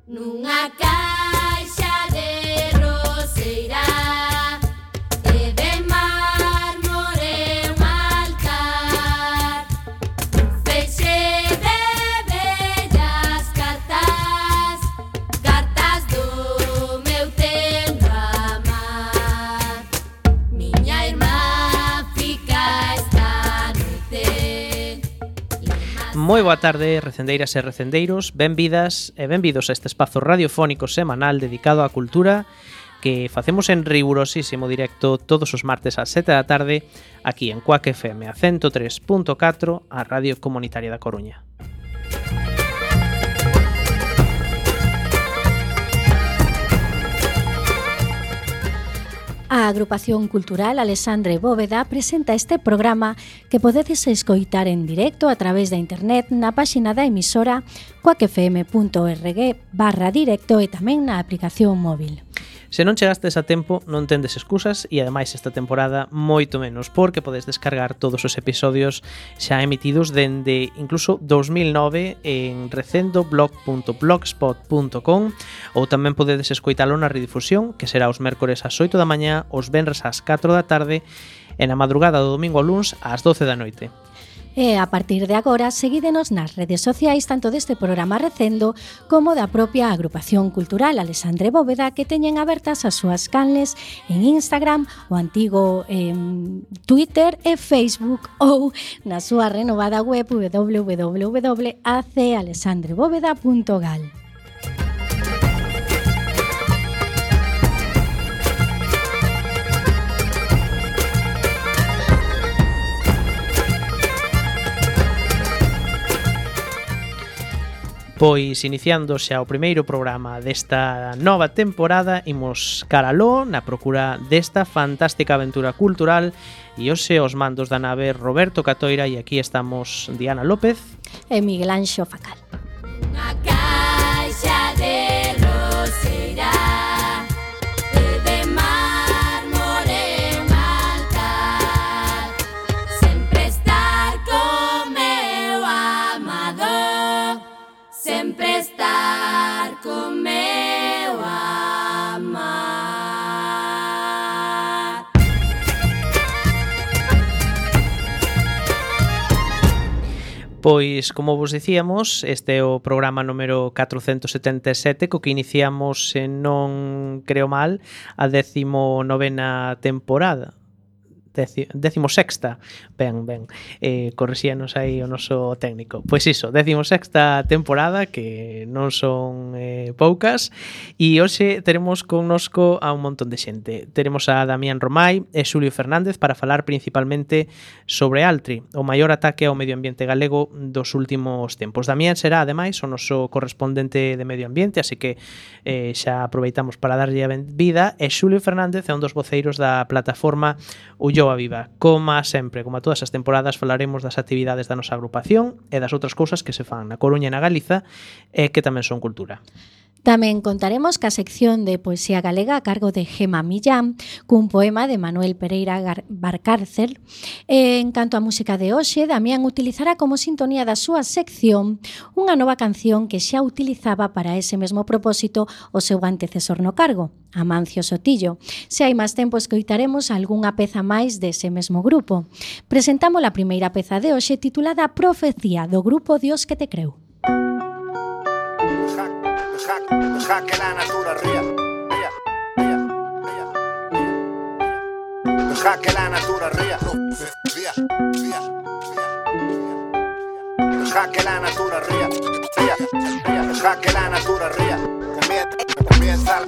Nunha caixa de roseira e de mármore un altar, un feixe de bellas cartas, cartas do meu tempo a amar. Miña irmá fica esta noite. Moi boa tarde, recendeiras e recendeiros, benvidas e benvidos a este espazo radiofónico semanal dedicado á cultura que facemos en rigurosísimo directo todos os martes ás 7 da tarde aquí en Cuac FM a 103.4, a Radio Comunitaria da Coruña. A Agrupación Cultural Alexandre Bóveda presenta este programa que podedes escoitar en directo a través da internet na páxina da emisora cuacfm.org/directo e tamén na aplicación móvil. Se non chegastes a tempo, non tendes excusas e ademais esta temporada moito menos, porque podes descargar todos os episodios xa emitidos dende incluso 2009 en recendoblog.blogspot.com ou tamén podedes escoitalo na redifusión, que será os mércores ás 8 da mañá, os venres ás 4 da tarde e na madrugada do domingo ao luns ás 12 da noite. E a partir de agora, seguídenos nas redes sociais tanto deste programa Recendo como da propia Agrupación Cultural Alexandre Bóveda, que teñen abertas as súas canles en Instagram, o antigo Twitter e Facebook, ou na súa renovada web www.acalexandrebóveda.gal. Pois iniciando xa o primeiro programa desta nova temporada, imos caraló na procura desta fantástica aventura cultural e hoxe os mandos da nave Roberto Catoira e aquí estamos Diana López e Miguel Anxo Facal. Unha caixa de roseira e de mármore un altar, sempre estar co meu amado, sempre estar co meu amar. Pois, como vos dicíamos, este é o programa número 477 co que iniciamos, se non creo mal, a 19ª temporada. 16ª, ben, corrixíanos aí o noso técnico. Pois iso, 16ª temporada, que non son poucas, e hoxe teremos connosco a un montón de xente. Teremos a Damián Romai e Xulio Fernández para falar principalmente sobre Altri, o maior ataque ao medio ambiente galego dos últimos tempos. Damián será, ademais, o noso correspondente de medio ambiente, así que xa aproveitamos para darlle a benvida, e Xulio Fernández é un dos voceiros da plataforma Ulloa Viva. Como sempre, como a todas as temporadas, falaremos das actividades da nosa agrupación e das outras cousas que se fan na Coruña e na Galiza e que tamén son cultura. Tamén contaremos ca sección de poesía galega a cargo de Gema Millán, cun poema de Manuel Pereira Barcárcel. En canto á música de hoxe, Damián utilizará como sintonía da súa sección unha nova canción que xa utilizaba para ese mesmo propósito o seu antecesor no cargo, Amancio Sotillo. Se hai máis tempo, escoitaremos algunha peza máis dese mesmo grupo. Presentamos a primeira peza de hoxe titulada Profecía, do grupo Dios que te creu. Deja que la natura ría. Deja que la natura ría. Deja que la natura ría. Deja que la natura ría. Comienza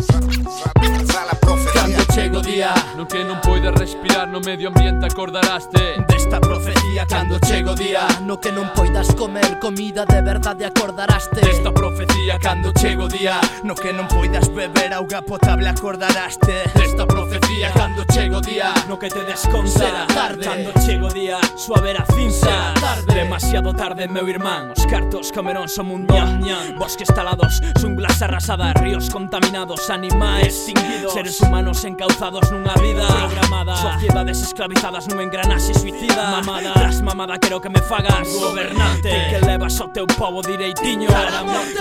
la profecía. Cando chego día no que non poides respirar no medio ambiente, acordaraste desta profecía. Cando chego día no que non poidas comer comida de verdade, acordaraste desta profecía. Cando chego día no que non poidas beber auga potable, acordaraste desta profecía. Cando chego día no que te desconta será tarde. Cando chego día suavera cinza será tarde. Demasiado tarde, meu irmán. Os cartos comerón son un ñam ñam. Bosques talados, xunglas arrasadas, ríos contaminados, animais extinguidos, seres humanos encauzados nunha vida programada, sociedades esclavizadas nun engranaxe suicida, mamada, Tras mamada quero que me fagas gobernante, que levas o teu pobo direitiño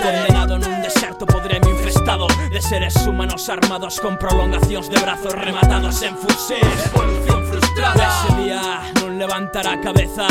condenado nun deserto podreme infestado de seres humanos armados con prolongacións de brazos rematados en fusil. Evolución frustrada. Ese día non levantará a cabeza,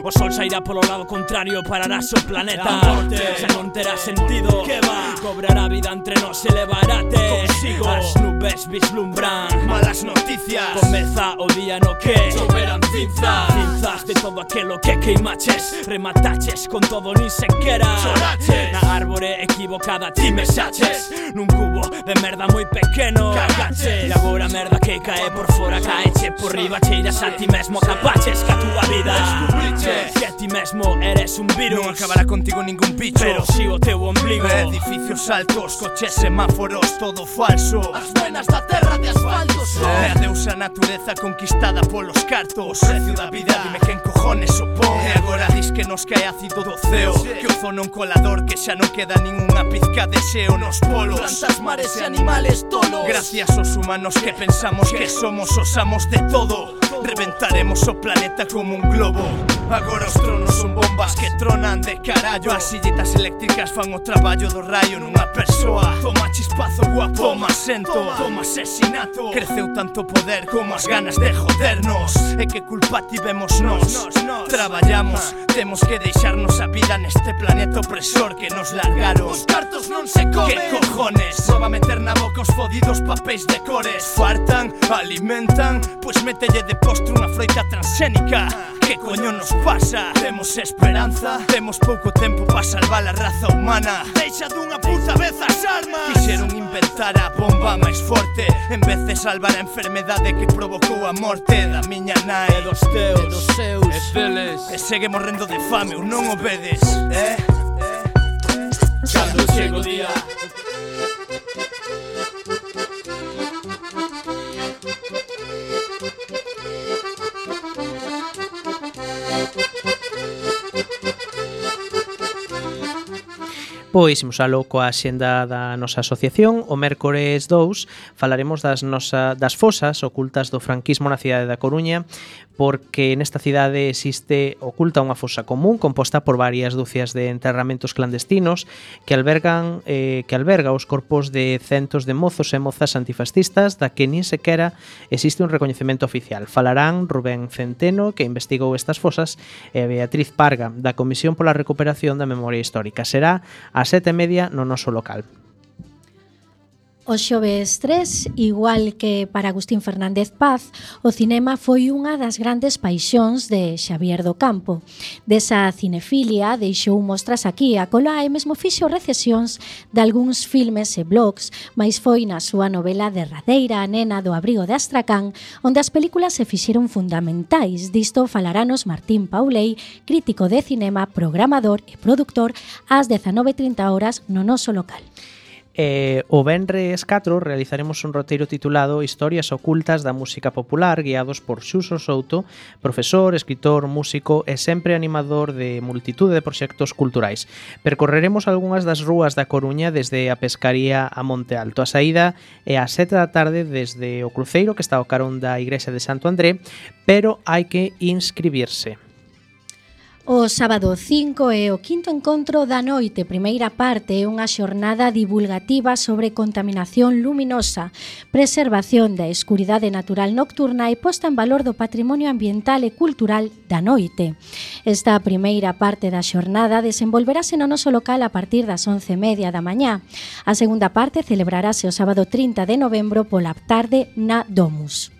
o sol sairá polo lado contrario, pararás o planeta. Xa non terá sentido, que va, cobrará vida entre nós, elevarate consigo. As nubes vislumbran malas noticias, comeza o día no que choverán cinzas de todo aquelo que queimaches, remataches con todo nin sequera choraches. Na árbore equivocada ti me xaches, nun cubo de merda moi pequeno cagaches. E agora a merda que cae por fora caeche por riba, cheiras a ti mesmo, capaches ca túa vida. Descubriches que ti mesmo eres un virus, non acabará contigo ningún bicho, pero si o teu ombligo. Edificios altos, coches, semáforos, todo falso, as venas da terra de asfalto son. E adeus a natureza conquistada polos cartos, o precio da vida, dime quen cojones opón. E agora dis que nos cae ácido do ceo, que o zono un colador, que xa non queda ninguna pizca de xeo nos polos, plantas, mares e animales tolos. Gracias aos humanos que pensamos que somos os amos de todo, reventaremos o planeta como un globo. Agora os tronos son bombas que tronan de carallo, as sillitas eléctricas fan o traballo do raio nunha persoa. Toma chispazo guapo, toma sento, toma asesinato. Creceu tanto poder como as ganas de jodernos. E que culpa tivemos nós? Traballamos, temos que deixarnos a vida neste planeta opresor que nos largaron. Os cartos non se comen. Que cojones? Non va meter na boca os fodidos papéis de cores. Fartan, alimentan, pois mételle de postre unha froita transxénica. Que coño nos pasa? Temos esperanza, temos pouco tempo para salvar a raza humana. Deixa dunha puta vez as armas. Quixeron inventar a bomba máis forte en vez de salvar a enfermedade que provocou a morte da miña nai e dos teus, dos seus, e deles. E segue morrendo de fame ou non o vedes? Cando chega o día Pois imos aló coa xenda da nosa asociación. O mércores 2 falaremos das fosas ocultas do franquismo na cidade da Coruña, porque nesta cidade existe oculta unha fosa común composta por varias dúcias de enterramentos clandestinos que alberga os corpos de centos de mozos e mozas antifascistas da que nin sequera existe un recoñecemento oficial. Falarán Rubén Centeno, que investigou estas fosas, e Beatriz Parga, da Comisión pola Recuperación da Memoria Histórica. Será ás 7:30 no noso local. O xoves 3, igual que para Agustín Fernández Paz, o cinema foi unha das grandes paixóns de Xavier do Campo. Desa cinefilia deixou mostras aquí a cola e mesmo fixo recesións de algúns filmes e blogs, mais foi na súa novela derradeira A nena do abrigo de Astracán onde as películas se fixeron fundamentais. Disto falaranos Martín Pauley, crítico de cinema, programador e produtor, ás 19:30 horas no noso local. O venres 4 realizaremos un roteiro titulado Historias ocultas da música popular, guiados por Xuso Souto, profesor, escritor, músico e sempre animador de multitude de proxectos culturais. Percorreremos algunhas das rúas da Coruña desde a Pescaría a Monte Alto. A saída é ás 7 da tarde desde o cruceiro que está ao carón da Igrexa de Santo André, pero hai que inscribirse. O sábado 5 é o quinto encontro da noite, primeira parte, é unha xornada divulgativa sobre contaminación luminosa, preservación da escuridade natural nocturna e posta en valor do patrimonio ambiental e cultural da noite. Esta primeira parte da xornada desenvolverase no noso local a partir das 11:30 da mañá. A segunda parte celebrarase o sábado 30 de novembro pola tarde na Domus.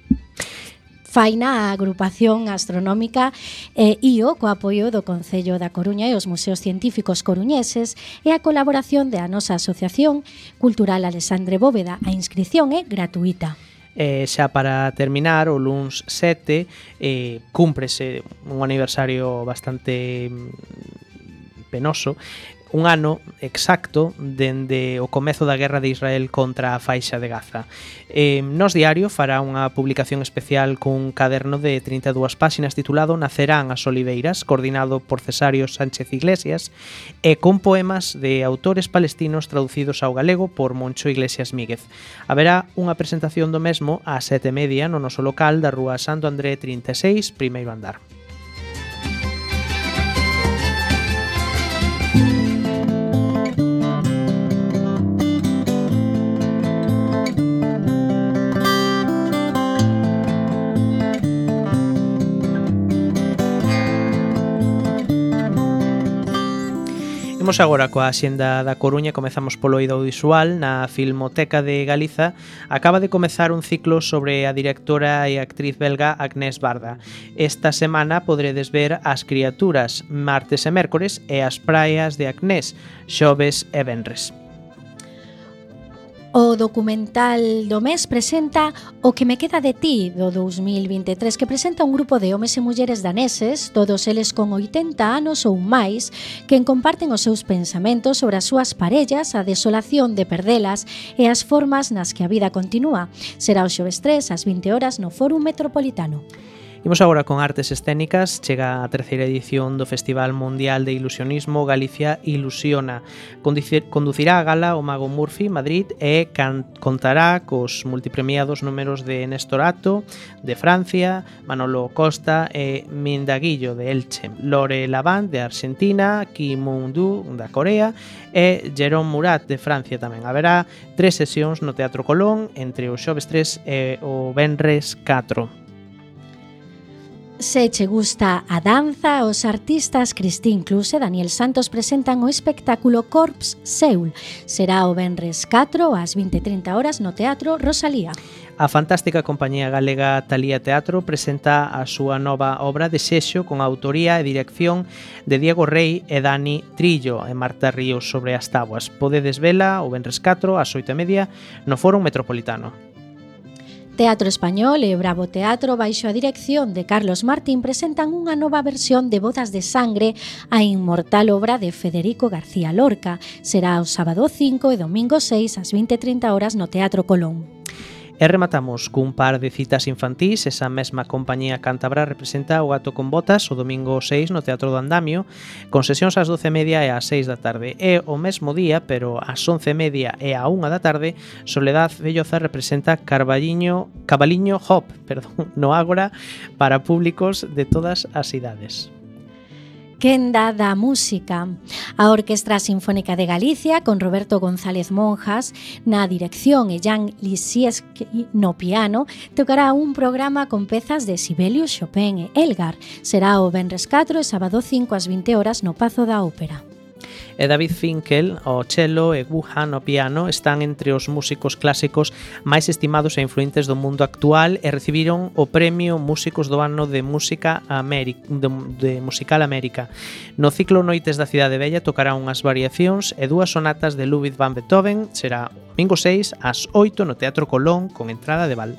Faina a agrupación astronómica IO co apoio do Concello da Coruña e os museos científicos coruñeses e a colaboración da nosa Asociación Cultural Alexandre Bóveda. A inscrición é gratuita. Xa para terminar, o luns 7 cúmprese un aniversario bastante penoso, un ano exacto dende o comezo da guerra de Israel contra a faixa de Gaza. Nos Diario fará unha publicación especial cun caderno de 32 páxinas titulado Nacerán as oliveiras, coordinado por Cesario Sánchez Iglesias, e con poemas de autores palestinos traducidos ao galego por Moncho Iglesias Míguez. Haberá unha presentación do mesmo ás 7:30 no noso local da rúa Santo André 36, primeiro andar. Imos agora coa Axenda da Coruña. Comezamos polo eido audiovisual. Na Filmoteca de Galiza acaba de comezar un ciclo sobre a directora e actriz belga Agnès Varda. Esta semana poderedes ver As criaturas, martes e mércores, e As praias de Agnès, xoves e venres. O documental do mes presenta O que me queda de ti, do 2023, que presenta un grupo de homes e mulleres daneses, todos eles con 80 anos ou máis, que comparten os seus pensamentos sobre as súas parellas, a desolación de perdelas e as formas nas que a vida continúa. Será o xoves 3 ás 20 horas no Fórum Metropolitano. Imos agora con artes escénicas. Chega a terceira edición do Festival Mundial de Ilusionismo Galicia Ilusiona. Conducirá a gala o Mago Murphy Madrid e contará cos multipremiados números de Néstor Ato de Francia, Manolo Costa e Mindaguillo de Elche, Lore Lavant de Argentina, Kim Moon-doo da Corea e Jérôme Murat de Francia tamén. Haberá 3 sesións no Teatro Colón entre o xoves 3 e o venres 4. Se che gusta a danza, os artistas Cristín Cluse e Daniel Santos presentan o espectáculo Corps Seul. Será o venres 4 ás 20:30 horas no Teatro Rosalía. A fantástica compañía galega Talía Teatro presenta a súa nova obra de Xexo con a autoría e dirección de Diego Rey e Dani Trillo e Marta Ríos sobre as táboas. Podedes vela o venres 4 ás 8:30 no Fórum Metropolitano. Teatro Español e Bravo Teatro, baixo a dirección de Carlos Martín, presentan unha nova versión de Bodas de Sangre, a inmortal obra de Federico García Lorca. Será o sábado 5 e domingo 6 ás 20:30 horas no Teatro Colón. E rematamos cun par de citas infantís. Esa mesma compañía cántabra representa O gato con botas o domingo 6 no Teatro do Andamio, con sesións ás 12:30 e ás 6 da tarde. E o mesmo día, pero ás 11:30 e á 1 da tarde, Soledad Velloza representa Cabaliño Hop, no Ágora, para públicos de todas as idades. Quenda da música. A Orquestra Sinfónica de Galicia, con Roberto González Monjas na dirección e Jan Lisieski no piano, tocará un programa con pezas de Sibelius, Chopin e Elgar. Será o venres 4 e sábado 5 ás 20 horas no Pazo da Ópera. E David Finkel, ao cello, e Wu Han ao piano están entre os músicos clásicos máis estimados e influentes do mundo actual e recibiron o premio Músicos do Ano de Música de Musical América. No ciclo Noites da Cidade Bella tocará unhas variacións e 2 sonatas de Ludwig van Beethoven. Será o domingo 6 ás 8 no Teatro Colón con entrada de val.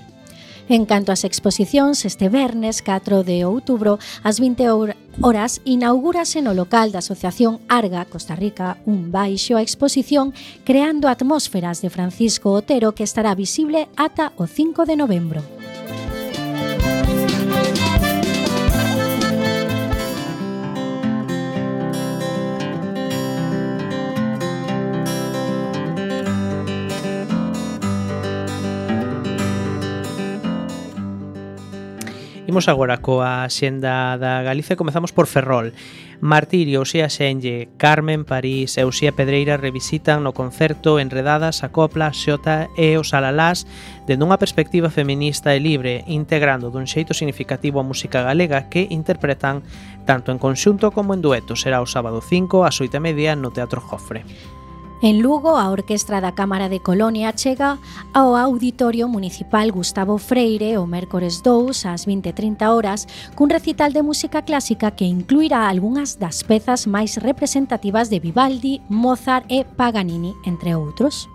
En canto ás exposicións, este vernes 4 de outubro ás 20 horas inaugúrase no local da Asociación Arga Costa Rica un baixo a exposición Creando Atmósferas de Francisco Otero, que estará visible ata o 5 de novembro. Imos agora coa Axenda da Galicia. Comezamos por Ferrol. Martirio, Uxía Xenlle, Carmen París e Uxía Pedreira revisitan no concerto Enredadas a copla, xota e os alalás dende unha perspectiva feminista e libre, integrando dun xeito significativo a música galega que interpretan tanto en conxunto como en dueto. Será o sábado 5 ás 8:30 no Teatro Jofre. En Lugo, a Orquestra da Cámara de Colonia chega ao Auditorio Municipal Gustavo Freire o mércores 2 ás 20:30 horas cun recital de música clásica que incluirá algunhas das pezas máis representativas de Vivaldi, Mozart e Paganini, entre outros.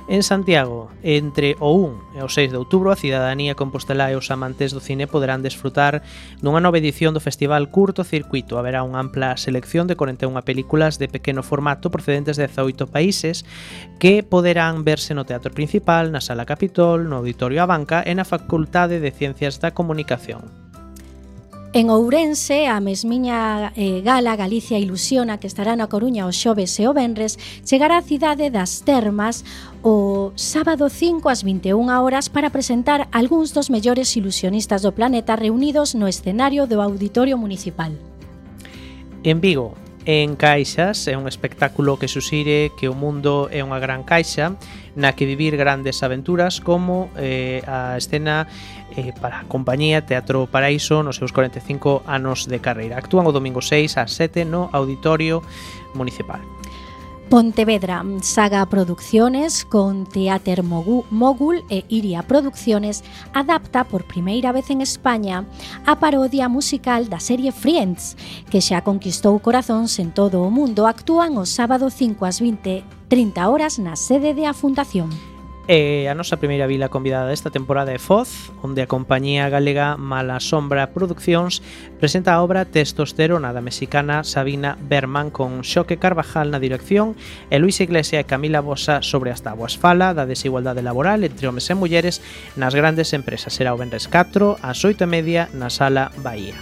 En Santiago, entre o 1 e o 6 de outubro, a cidadanía compostelá e os amantes do cine poderán desfrutar dunha nova edición do Festival Curto Circuito. Haberá unha ampla selección de 41 películas de pequeno formato procedentes de 18 países que poderán verse no Teatro Principal, na Sala Capitol, no Auditorio Abanca e na Facultade de Ciencias da Comunicación. En Ourense, a mesmiña gala Galicia Ilusiona, que estará na Coruña o xoves e o venres, chegará á cidade das Termas o sábado 5 ás 21 horas para presentar algúns dos mellores ilusionistas do planeta reunidos no escenario do Auditorio Municipal. En Vigo, En Caixas é un espectáculo que suxire que o mundo é unha gran caixa na que vivir grandes aventuras como a escena para a compañía Teatro Paraíso nos seus 45 anos de carreira. Actúan o domingo 6 ás 7 no Auditorio Municipal. Pontevedra, Saga Producciones con Teater Mogul e Iria Producciones adapta por primeira vez en España a parodia musical da serie Friends, que xa conquistou corazóns en todo o mundo. Actúan o sábado 5 ás 20:30 horas na sede de a Fundación. A nosa primeira vila convidada desta temporada é Foz, onde a compañía galega Mala Sombra Produccións presenta a obra Testosterona da mexicana Sabina Berman con Xoque Carvajal na dirección e Luis Iglesia e Camila Bosa sobre as táboas. Fala da desigualdade laboral entre homes e mulleres nas grandes empresas. Será o venres 4 ás 8:30 na Sala Bahía.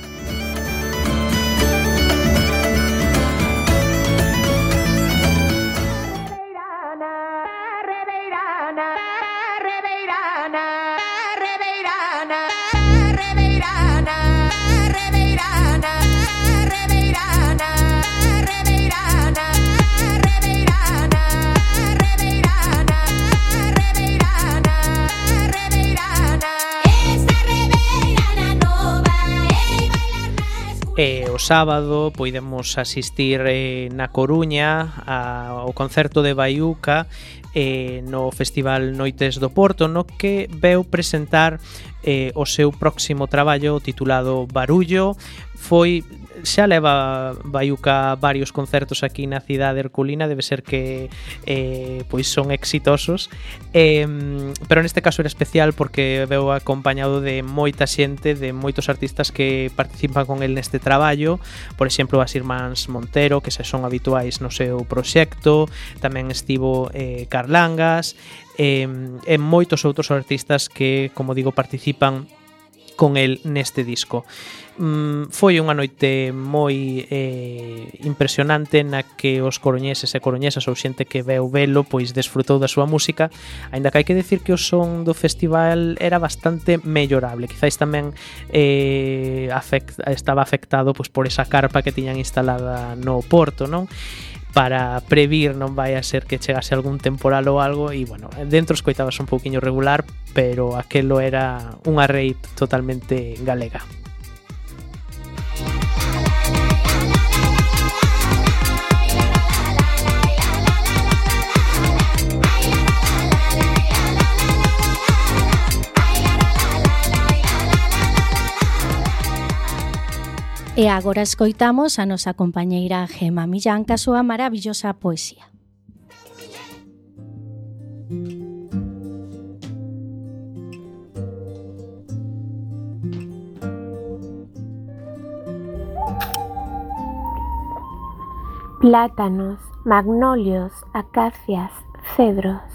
O sábado poidemos asistir na Coruña ao concerto de Baiuca no Festival Noites do Porto, no que veu presentar o seu próximo traballo titulado Barullo. Xa leva Baiuca varios concertos aquí na cidade herculina, debe ser que pois son exitosos, pero neste caso era especial porque veu acompañado de moita xente, de moitos artistas que participan con el neste traballo. Por exemplo, as irmáns Montero, que se son habituais no seu proxecto, tamén estivo Carlangas e moitos outros artistas que, como digo, participan con el neste disco. Foi unha noite moi impresionante na que os coruñeses e coruñesas ou xente que veu velo pois desfrutou da súa música, aínda que hai que decir que o son do festival era bastante mellorable. Quizáis tamén estaba afectado pois por esa carpa que tiñan instalada no Porto, non? Para previr non vai a ser que chegase algún temporal ou algo, e bueno, dentro escoitabas un pouquiño regular, pero aquelo era unha rave totalmente galega. E agora escoitamos a nosa compañeira Gema Millán ca súa maravillosa poesía. Plátanos, magnolios, acacias, cedros,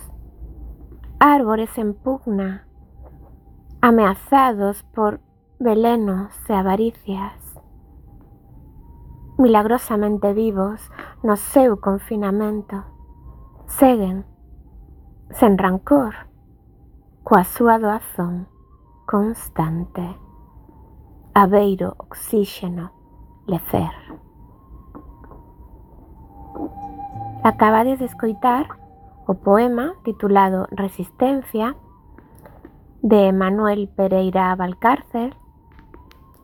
árboles en pugna, ameazados por velenos e avaricias, milagrosamente vivos no seu confinamento, seguen, sen rancor, coa súa doazón constante, abeiro oxíxeno, lecer. Acabades de escoitar o poema titulado Resistencia de Manuel Pereira Valcárcel,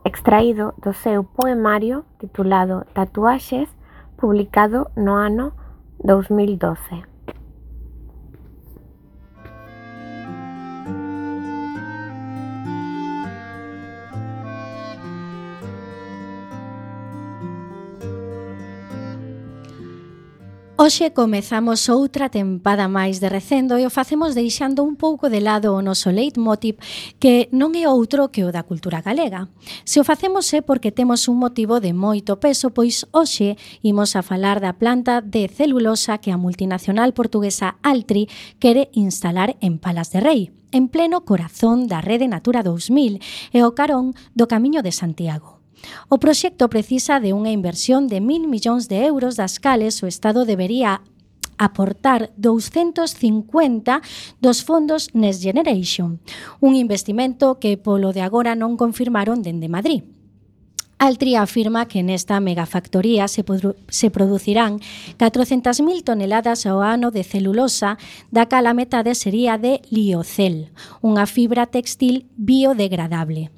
extraído do seu poemario titulado Tatuaxes, publicado no ano 2012. Hoxe comezamos outra tempada máis de Recendo e o facemos deixando un pouco de lado o noso leitmotiv, que non é outro que o da cultura galega. Se o facemos é porque temos un motivo de moito peso, pois hoxe imos a falar da planta de celulosa que a multinacional portuguesa Altri quere instalar en Palas de Rei, en pleno corazón da Rede Natura 2000 e o carón do Camiño de Santiago. O proxecto precisa de unha inversión de 1.000 millóns de euros, das cales o Estado debería aportar 250 dos fondos Next Generation, un investimento que polo de agora non confirmaron dende Madrid. Altri afirma que nesta megafactoría se producirán 400.000 toneladas ao ano de celulosa, da cal a metade sería de liocel, unha fibra textil biodegradable.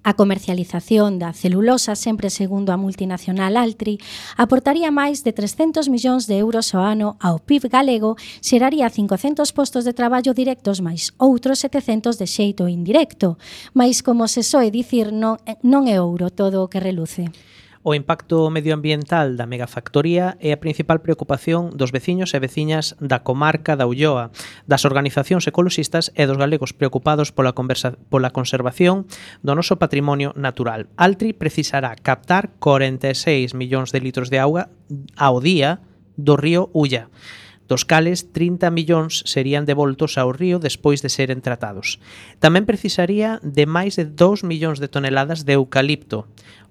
A comercialización da celulosa, sempre segundo a multinacional Altri, aportaría máis de 300 millóns de euros ao ano ao PIB galego, xeraría 500 postos de traballo directos máis outros 700 de xeito indirecto. Mais, como se soe dicir, non é ouro todo o que reluce. O impacto medioambiental da megafactoría é a principal preocupación dos veciños e veciñas da comarca da Ulloa, das organizacións ecoloxistas e dos galegos preocupados pola conservación do noso patrimonio natural. Altri precisará captar 46 millóns de litros de auga ao día do río Ulla, dos cales 30 millóns serían devoltos ao río despois de seren tratados. Tamén precisaría de máis de 2 millóns de toneladas de eucalipto,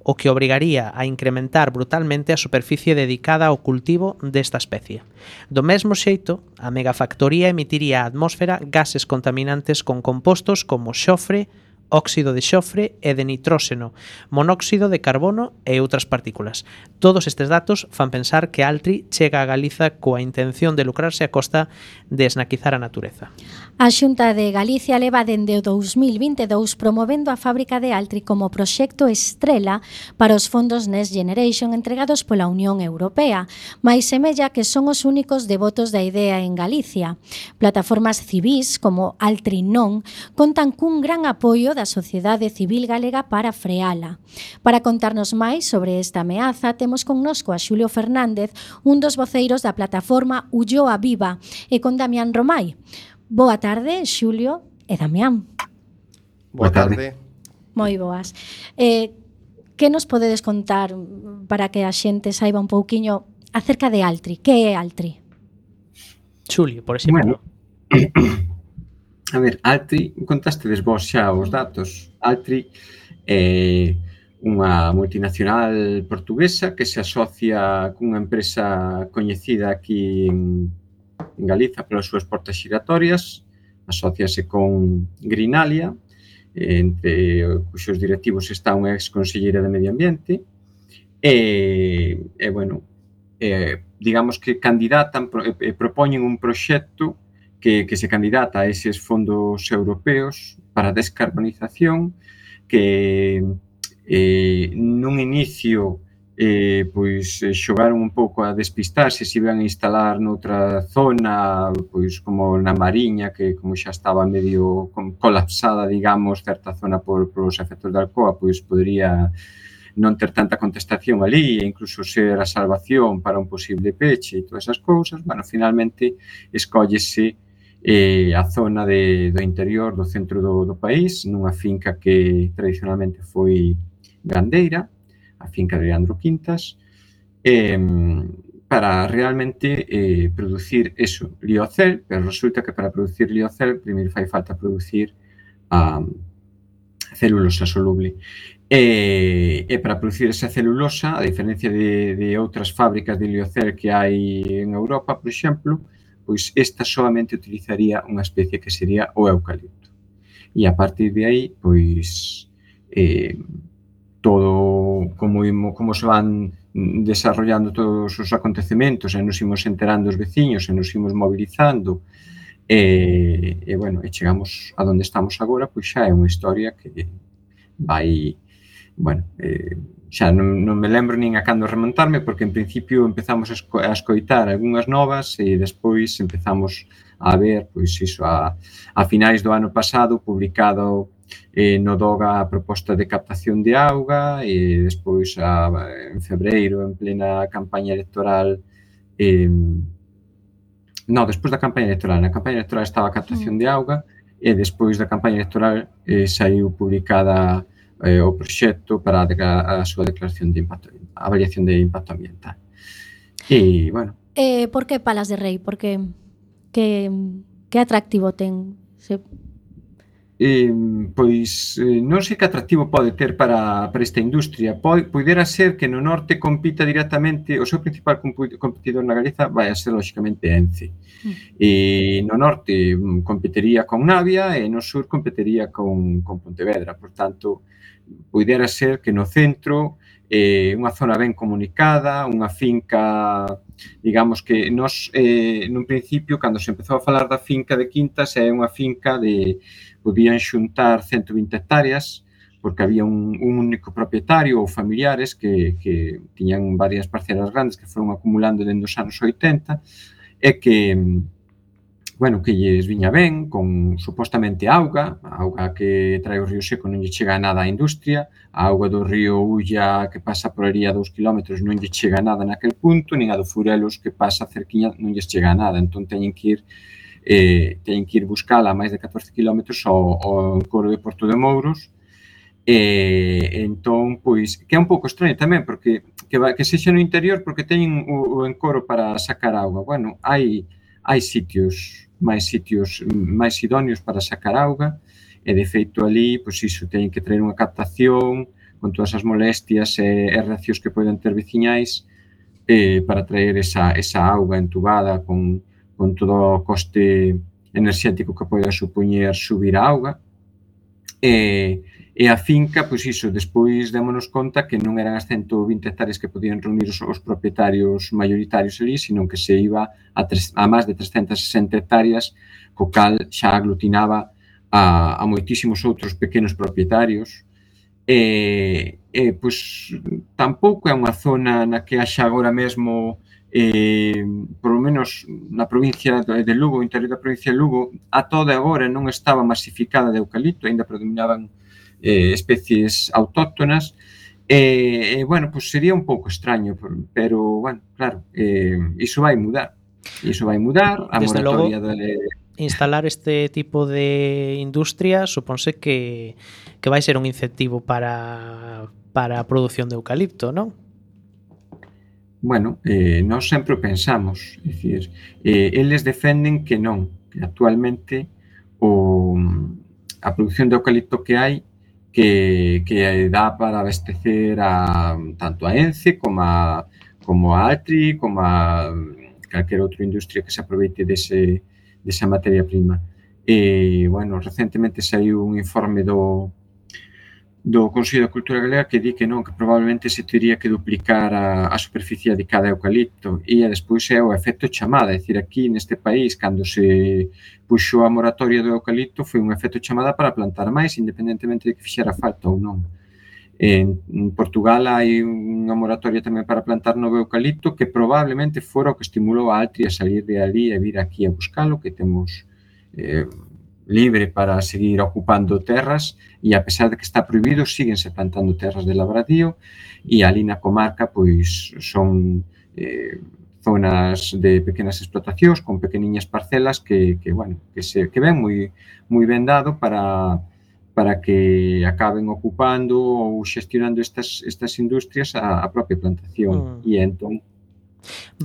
o que obrigaría a incrementar brutalmente a superficie dedicada ao cultivo desta especie. Do mesmo xeito, a megafactoría emitiría á atmósfera gases contaminantes con compostos como xofre, óxido de xofre e de nitróxeno, monóxido de carbono e outras partículas. Todos estes datos fan pensar que Altri chega a Galiza coa intención de lucrarse a costa de esnaquizar a natureza. A Xunta de Galicia leva dende o 2022 promovendo a fábrica de Altri como proxecto estrela para os fondos Next Generation entregados pola Unión Europea, mais semella que son os únicos devotos da idea en Galicia. Plataformas civís como Altri Non contan cun gran apoio da sociedade civil galega para freala. Para contarnos máis sobre esta ameaza, temos connosco a Xulio Fernández, un dos voceiros da plataforma Ulloa Viva, e con Damián Romai. Boa tarde, Xulio e Damián. Boa tarde. Moi boas. Que nos podedes contar para que a xente saiba un pouquiño acerca de Altri? Que é Altri? Xulio, por exemplo. Bueno, a ver, Altri, contastedes vos xa os datos. Altri é unha multinacional portuguesa que se asocia cunha empresa coñecida aquí en Galiza polas súas portas xiratorias, asóciase con Greenalia, entre cuxos directivos está unha ex-conselleira de Medio Ambiente, digamos que candidatan e propoñen un proxecto que se candidata a eses fondos europeos para a descarbonización, que nun inicio xogaron un pouco a despistarse se iban a instalar noutra zona, pois como na Mariña, que como xa estaba medio colapsada, digamos, certa zona polos efectos da Alcoa, pois podría non ter tanta contestación ali e incluso ser a salvación para un posible peche e todas esas cousas. Bueno, finalmente escóllese a zona do interior do centro do país, nunha finca que tradicionalmente foi gandeira, a finca de Leandro Quintas, para realmente producir eso, liocel, pero resulta que para producir liocel primeiro fai falta producir a celulosa soluble. E para producir esa celulosa, a diferencia de outras fábricas de liocel que hai en Europa, por exemplo, pois esta solamente utilizaría unha especie que sería o eucalipto. E a partir de aí, pois, todo como se van desarrollando todos os acontecementos e nos imos enterando os veciños e nos imos mobilizando e chegamos a donde estamos agora, pois xa é unha historia que vai, xa non me lembro nin a cando remontarme, porque en principio empezamos a escoitar algunhas novas e despois empezamos a ver, pois iso, a finais do ano pasado, publicado no DOGA a proposta de captación de auga e despois en febreiro, en plena campaña electoral, despois da campaña electoral, na campaña electoral estaba a captación de auga e despois da campaña electoral saiu publicada o proxecto para a súa declaración de impacto, a avaliación de impacto ambiental. E, bueno... Por que Palas de Rei? Por que atractivo ten? Pois non sei que atractivo pode ter para esta industria. Poidera ser que no norte compita directamente, o seu principal competidor na Galiza vai a ser, lóxicamente, Ence. E no norte competiría con Navia e no sur competiría con Pontevedra. Por tanto, poidera ser que no centro, unha zona ben comunicada, unha finca, digamos que nos, nun principio, cando se empezou a falar da finca de Quintas, é unha finca de podían xuntar 120 hectáreas porque había un único propietario ou familiares que tiñan varias parcelas grandes que foron acumulando dende os anos 80 e que, bueno, que lles viña ben con supostamente auga, a auga que trae o río Seco non lle chega nada á industria, a auga do río Ulla que pasa por ali a 2 kilómetros non lle chega nada naquel punto, nin a do Furelos que pasa cerquiña non lles chega nada, entón teñen que ir buscala a máis de 14 km ao encoro de Porto de Mouros. Entón, pois, que é un pouco extraño tamén, porque que sexa no interior porque teñen o encoro para sacar auga. Bueno, hai sitios máis idóneos para sacar auga, e de feito ali, pois iso, teñen que traer unha captación con todas as molestias e reaccións que poden ter veciñais para traer esa auga entubada con todo o coste enerxético que poida supoñer subir a auga. E a finca, pois iso, despois démonos conta que non eran as 120 hectáreas que podían reunir os propietarios maioritarios ali, sino que se iba a máis de 360 hectáreas, co cal xa aglutinaba a moitísimos outros pequenos propietarios. Pois tampouco é unha zona na que haxa agora mesmo por lo menos na provincia de Lugo, o interior da provincia de Lugo, a toda agora non estaba masificada de eucalipto, ainda predominaban especies autóctonas, bueno, pues sería un pouco extraño, pero, bueno, claro, iso vai mudar. A moratoria instalar este tipo de industria suponse que vai ser un incentivo para a produción de eucalipto, non? Bueno, nós sempre o pensamos, é dicir, eles defenden que non, que actualmente a produción de eucalipto que hai que dá para abastecer tanto a Ence como a Altri, como a calquera outra industria que se aproveite desa materia prima. Bueno, recentemente saiu un informe do Consello de Cultura Galega que di que non, que probablemente se teria que duplicar a superficie de cada eucalipto e despois é o efecto chamada, é dicir, aquí neste país, cando se puxo a moratoria do eucalipto foi un efecto chamada para plantar máis, independentemente de que fixera falta ou non. En Portugal hai unha moratoria tamén para plantar novo eucalipto que probablemente fora o que estimulou a Altri a salir de ali e vir aquí a buscalo, que temos libre para seguir ocupando terras e a pesar de que está prohibido, síguense plantando terras de labradío e ali na comarca pois son zonas de pequenas explotacións con pequeniñas parcelas que ven moi ben dado para que acaben ocupando ou xestionando estas industrias a propia plantación e entón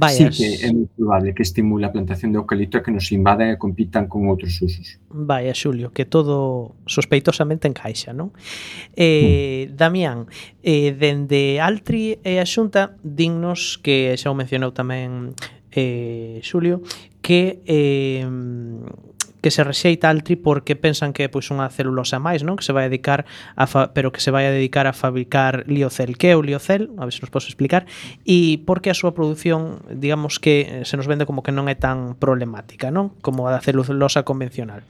sí que é moi probable que estimule a plantación de eucalipto e que nos invadan e compitan con outros usos. Vaya, Xulio, que todo sospeitosamente encaixa, non? Damián, dende Altri e a Xunta, dinnos que xa o mencionou tamén Xulio, que se rexeita Altri porque pensan que é pois unha celulosa máis, non? Que se vai a dedicar pero que se vai a dedicar a fabricar liocel. Que é o liocel? A ver se nos podes explicar. E por que a súa produción, digamos que se nos vende como que non é tan problemática, non? Como a da celulosa convencional.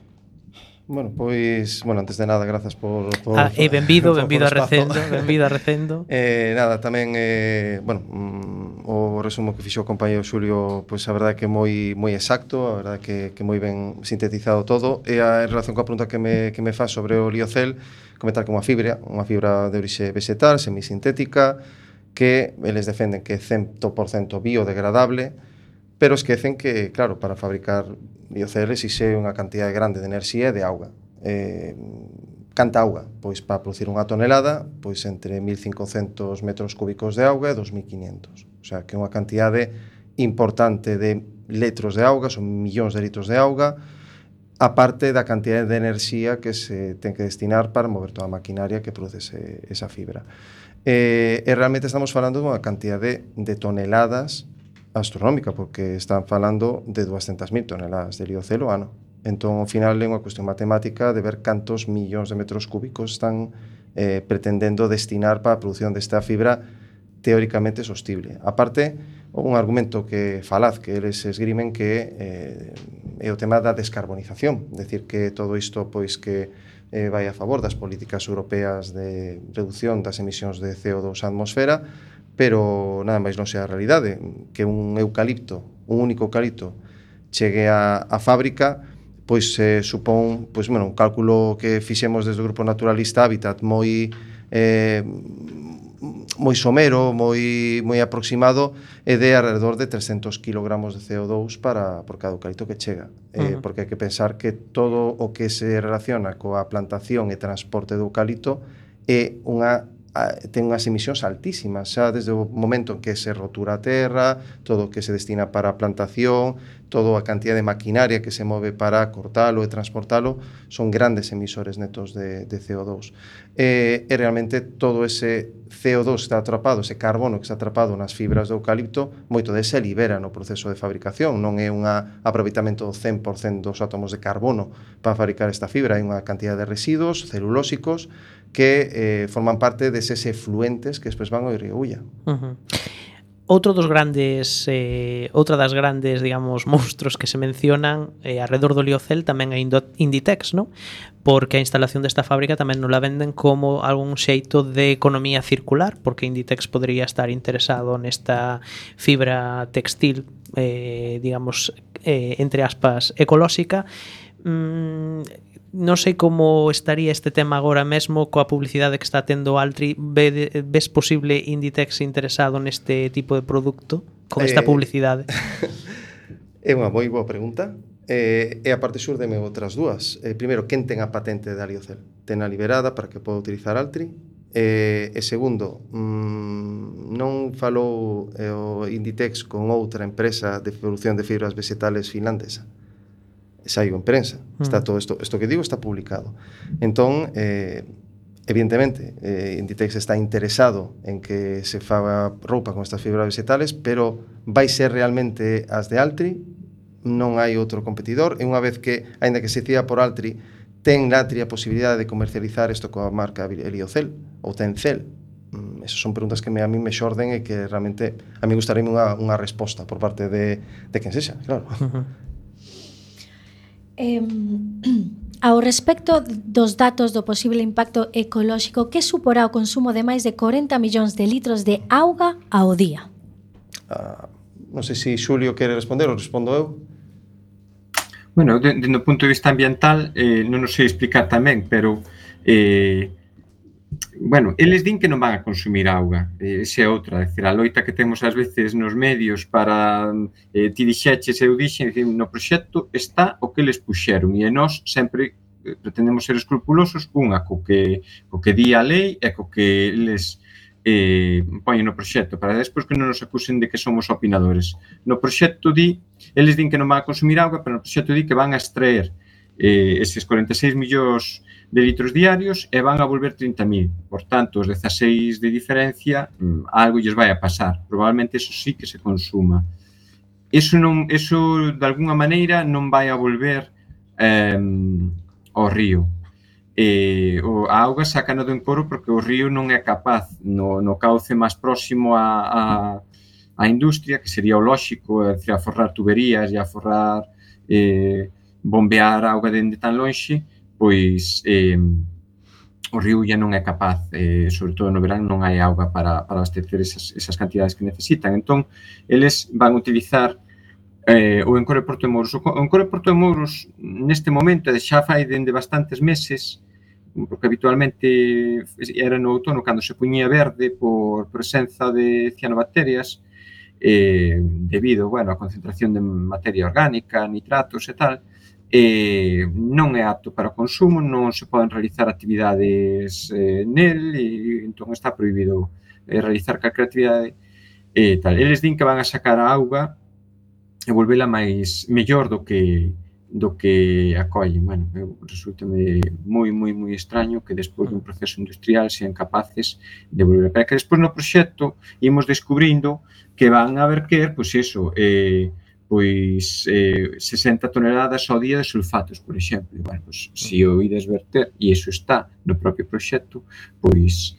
Bueno, pois, antes de nada, grazas por benvido a Recendo. Nada, tamén, o resumo que fixo o compañero Xulio, pois a verdade que é moi exacto, a verdade que moi ben sintetizado todo, e en relación coa pregunta que me faz sobre o liocel, comentar que unha fibra de orixe vegetal, semisintética, que eles defenden que é 100% biodegradable, pero esquecen que, claro, para fabricar liocel exixe unha cantidade grande de enerxía e de auga. Canta auga? Pois para producir unha tonelada, pois entre 1.500 metros cúbicos de auga e 2.500. O sea, que é unha cantidade importante de litros de auga, son millóns de litros de auga, a parte da cantidad de enerxía que se ten que destinar para mover toda a maquinaria que produce esa fibra. E realmente estamos falando dunha cantidade de toneladas astronómica, porque están falando de 200.000 toneladas de liocel ao ano. Entón, ao final, é unha cuestión matemática de ver cantos millóns de metros cúbicos están pretendendo destinar para a produción desta fibra teóricamente sostible. A parte, un argumento que falaz que eles esgrimen que é o tema da descarbonización, decir que todo isto pois que vai a favor das políticas europeas de reducción das emisións de CO2 á atmosfera, pero nada máis non sea a realidade, que un eucalipto, un único eucalipto chegue á fábrica, pois supón, pois, bueno, un cálculo que fixemos desde o Grupo Naturalista Hábitat moi somero, moi aproximado, é de alrededor de 300 kg de CO2 por cada eucalipto que chega. Porque hai que pensar que todo o que se relaciona coa plantación e transporte do eucalipto ten unhas emisións altísimas, xa desde o momento en que se rotura a terra, todo o que se destina para a plantación, toda a cantidad de maquinaria que se move para cortalo e transportalo, son grandes emisores netos de CO2. E realmente todo ese CO2 que está atrapado, ese carbono que está atrapado nas fibras do eucalipto, moito de se libera no proceso de fabricación, non é un aproveitamento do 100% dos átomos de carbono para fabricar esta fibra, hai unha cantidad de residuos celulósicos que forman parte deses efluentes que despois van ao río Ulla. Outra das grandes, digamos, monstruos que se mencionan alrededor do liocel tamén é Inditex, ¿no? Porque a instalación desta fábrica tamén non la venden como algún xeito de economía circular, porque Inditex podría estar interesado nesta fibra textil, digamos, entre aspas, ecolóxica. Non sei como estaría este tema agora mesmo coa publicidade que está tendo Altri. Ves posible Inditex interesado neste tipo de produto con esta publicidade? É unha moi boa pregunta. E a parte xurdeme outras dúas. Primeiro, quen ten a patente de Aliocel? Ten a liberada para que poda utilizar Altri? E segundo, non falou o Inditex con outra empresa de produción de fibras vegetales finlandesa? Saiu en prensa, está todo isto que digo está publicado. Entón, evidentemente, Inditex está interesado en que se faga roupa con estas fibras vegetales, pero vai ser realmente as de Altri, non hai outro competidor, e unha vez que, aínda que se decida por Altri, ten Altri a posibilidade de comercializar isto coa marca Heliocel ou Tencel. Esas son preguntas que a mí me xorden e que realmente a mí gustaría unha resposta por parte de quen sexa, claro. Ao respecto dos datos do posible impacto ecolóxico, que suporá o consumo de máis de 40 millóns de litros de auga ao día? Non sei se Xulio quere responder ou respondo eu. Bueno, dende o punto de vista ambiental non o sei explicar tamén, pero bueno, eles din que non van a consumir auga, esa é outra, decir, a loita que temos ás veces nos medios para ti dixeches, eu dixen, no proxecto está o que eles puxeron e nós sempre pretendemos ser escrupulosos, unha co que di a lei e co que eles poñen no proxecto, para despois que non nos acusen de que somos opinadores. No proxecto eles din que non van a consumir auga, pero no proxecto di que van a extraer eses 46 millóns de litros diarios e van a volver 30.000. Por tanto, os 16 de diferencia, algo lles vai a pasar. Probablemente eso sí que se consuma. Eso de alguna maneira non vai a volver ao río. A auga sácana do encoro porque o río non é capaz, no cauce máis próximo á industria, que sería o lóxico, a forrar tuberías e a forrar bombear auga dende tan lonxe, pois o río ya non é capaz, sobre todo no verán non hai auga para abastecer esas cantidades que necesitan. Entón, eles van a utilizar o encoro de Porto de Mouros. O encoro de Porto de Mouros neste momento xa fai dende bastantes meses, porque habitualmente era no outono cando se puñía verde por presenza de cianobacterias, debido, bueno, a concentración de materia orgánica, nitratos e tal, non é apto para o consumo, non se poden realizar actividades nel, e entón está prohibido realizar calquera actividade e tal. Eles din que van a sacar a auga e volvela mellor do que do que acollen. Bueno, resulta-me moi extraño que despois dun proceso industrial sean capaces de volver. Pero que despois no proxecto imos descubrindo que van a verter, pois iso, 60 toneladas ao día de sulfatos, por exemplo. Bueno, pois, se o ides verter, e iso está no propio proxecto, pois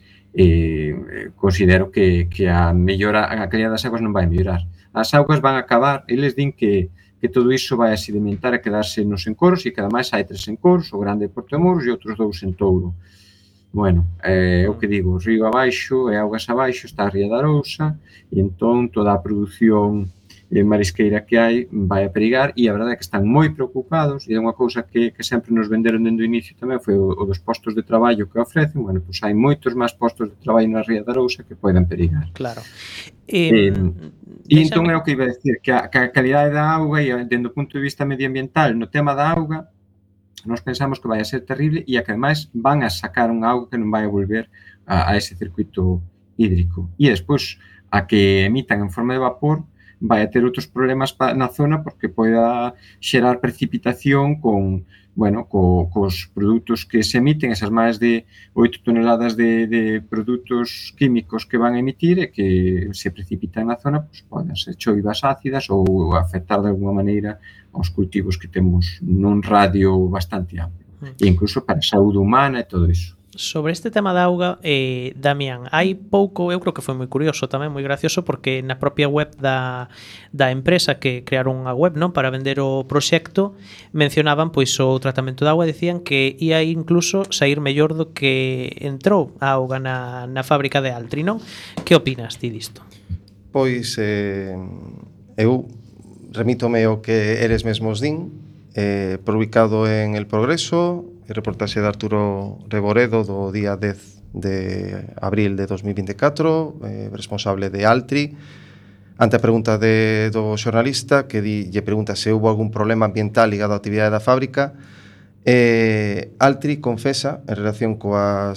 considero que a calidad das augas non vai mellorar. As augas van a acabar, eles din que todo iso vai a sedimentar e quedarse nos encoros, e que ademais hai 3 encoros, o grande de Porto de Mouros e outros 2 en Touro. Bueno, o que digo, río abaixo e augas abaixo está a Ría da Arousa, e entón toda a produción marisqueira que hai vai a perigar, e a verdade é que están moi preocupados, e é unha cousa que sempre nos venderon dende o inicio tamén, foi o dos postos de traballo que ofrecen. Bueno, pois hai moitos máis postos de traballo na Ría da Arousa que poden perigar. Claro. E entón é o que iba a decir, que a calidade da auga, e dende o punto de vista medioambiental, no tema da auga, nós pensamos que vai a ser terrible, e a que ademais van a sacar unha auga que non vai a volver a ese circuito hídrico. E despois, a que emitan en forma de vapor, vai a ter outros problemas na zona, porque poida xerar precipitación cos produtos que se emiten, esas máis de 8 toneladas de produtos químicos que van a emitir, e que se precipitan na zona, pois poden ser choivas ácidas ou afectar de alguma maneira aos cultivos que temos nun radio bastante amplo, e incluso para a saúde humana e todo iso. Sobre este tema da auga, Damián, hai pouco, eu creo que foi moi curioso tamén, moi gracioso, porque na propia web da empresa que crearon unha web, non, para vender o proxecto, mencionaban pois o tratamento da auga, decían que ia incluso sair mellor do que entrou a auga na fábrica de Altri, non? Que opinas ti disto? Pois eu remítome ao que eres mesmos din, publicado en El Progreso, reportaxe de Arturo Reboredo do día 10 de abril de 2024, responsable de Altri, ante a pregunta do xornalista que lle pregunta se houve algún problema ambiental ligado á actividade da fábrica. Altri confesa en relación coa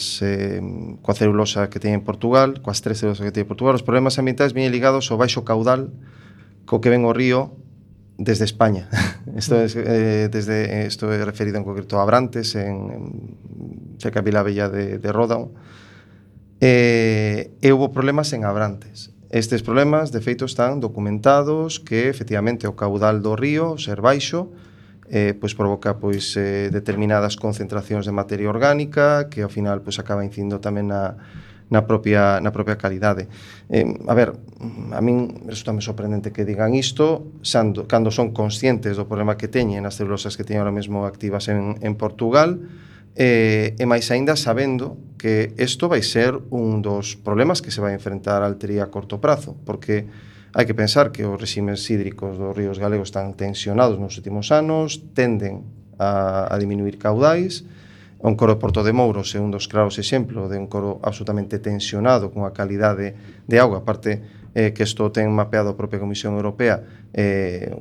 celulosa que ten en Portugal, coas 3 celulosas que ten en Portugal, os problemas ambientais viñen ligados ao baixo caudal co que ven o río desde España. Isto é referido en concreto a Abrantes, cerca de Vilabella de Ródão. E houve problemas en Abrantes. Estes problemas, de feito, están documentados, que efectivamente o caudal do río, ser baixo, pois provoca determinadas concentracións de materia orgánica, que ao final acaba incidindo tamén na propia calidade. A min resulta sorprendente que digan isto cando son conscientes do problema que teñen as celulosas que teñen ahora mesmo activas en Portugal, e máis aínda sabendo que isto vai ser un dos problemas que se vai enfrentar Altri a corto prazo, porque hai que pensar que os reximes hídricos dos ríos galegos están tensionados nos últimos anos, tenden a diminuir caudais. O encoro de Porto de Mouros é un dos claros exemplos de un encoro absolutamente tensionado con a calidade de auga, aparte que isto ten mapeado a propia Comisión Europea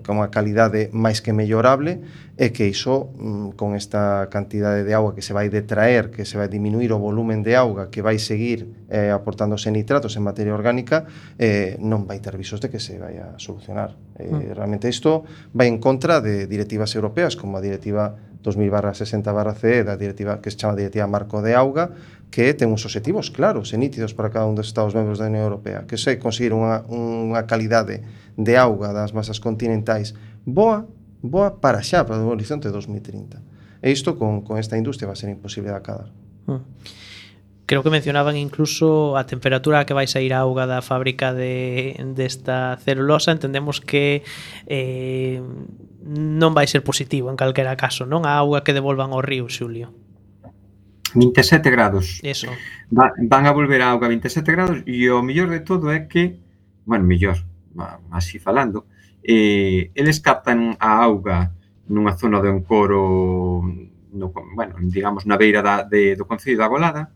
con unha calidade máis que mellorable, e que iso, con esta cantidade de auga que se vai detraer, que se vai diminuir o volumen de auga, que vai seguir aportándose nitratos en materia orgánica, non vai ter visos de que se vai a solucionar. Realmente isto vai en contra de directivas europeas, como a directiva 2000/60/CE, da directiva que se chama Directiva Marco de Auga, que ten uns obxectivos claros e nítidos para cada un dos Estados membros da Unión Europea, que é conseguir unha calidade de auga das masas continentais boa para xa, para o horizonte de 2030. E isto con esta industria vai ser imposible de acabar. Creo que mencionaban incluso a temperatura a que vai sair a auga da fábrica desta celulosa. Entendemos que non vai ser positivo en calquera caso, non? A auga que devolvan ao río, Xulio. 27 grados. Eso. Van a volver a auga a 27 grados, e o mellor de todo é que, así falando, eles captan a auga nunha zona do encoro, digamos, na beira do concello da Golada,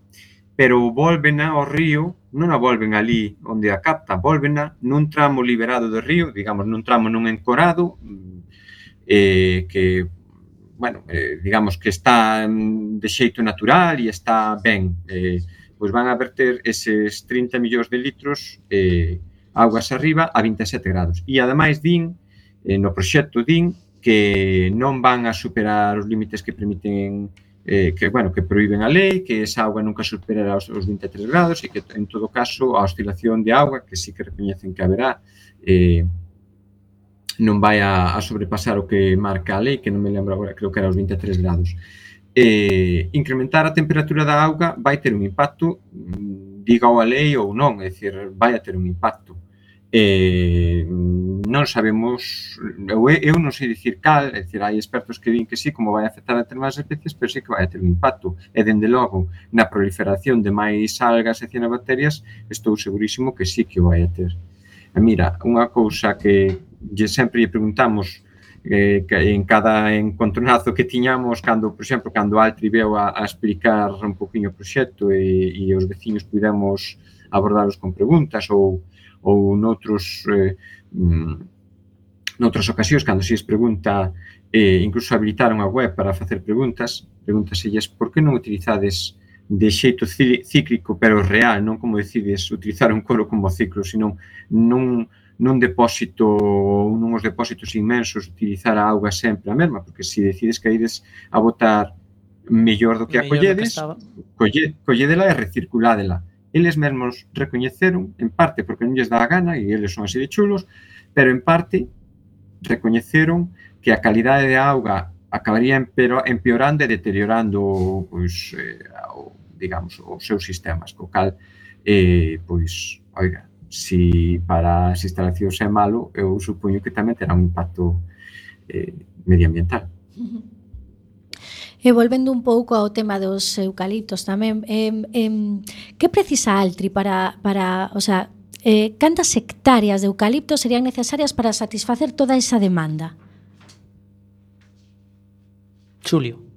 pero volvena ao río, non a volven ali onde a capta, volvena nun tramo liberado do río, digamos, nun tramo nun encorado, que, digamos que está de xeito natural e está ben. Pois van a verter eses 30 millóns de litros augas arriba a 27 grados. E ademais din, no proxecto din, que non van a superar os límites que permiten que prohíben a lei, que esa auga nunca superará os 23 grados e que, en todo caso, a oscilación de auga, que sí que recoñecen que haberá, non vai a sobrepasar o que marca a lei, que non me lembro agora, creo que era os 23 grados. Incrementar a temperatura da auga vai ter un impacto, diga a lei ou non, é dicir, vai a ter un impacto. Non sabemos, eu non sei dicir cal, é dicir, hai expertos que din que sí, como vai afectar a determinadas especies, pero sí que vai a ter un impacto. E, dende logo, na proliferación de máis algas e cianobacterias, estou segurísimo que sí que o vai a ter. E mira, unha cousa que sempre lle preguntamos en cada encontronazo que tiñamos, cando, por exemplo, cando Altri veu a explicar un poquinho o proxecto e os veciños pudemos abordalos con preguntas ou noutras ocasións, cando se pregunta, incluso habilitaron a web para facer pregúntaselles por que non utilizades de xeito cíclico pero real, non como decides utilizar un coro como ciclo, sino nun depósito ou nuns depósitos inmensos utilizar a auga sempre a mesma, porque se decides que ides a botar mellor do que a colledes, colledela e recirculádela. Eles mesmos recoñeceron, en parte porque non lles dá a gana, e eles son así de chulos, pero en parte recoñeceron que a calidade de auga acabaría empeorando e deteriorando, digamos, os seus sistemas, co cal, oiga, se para as instalacións é malo, eu supoño que tamén terá un impacto medioambiental. E volvendo un pouco ao tema dos eucaliptos tamén, que precisa Altri para o sea, cantas hectáreas de eucaliptos serían necesarias para satisfacer toda esa demanda? Xulio.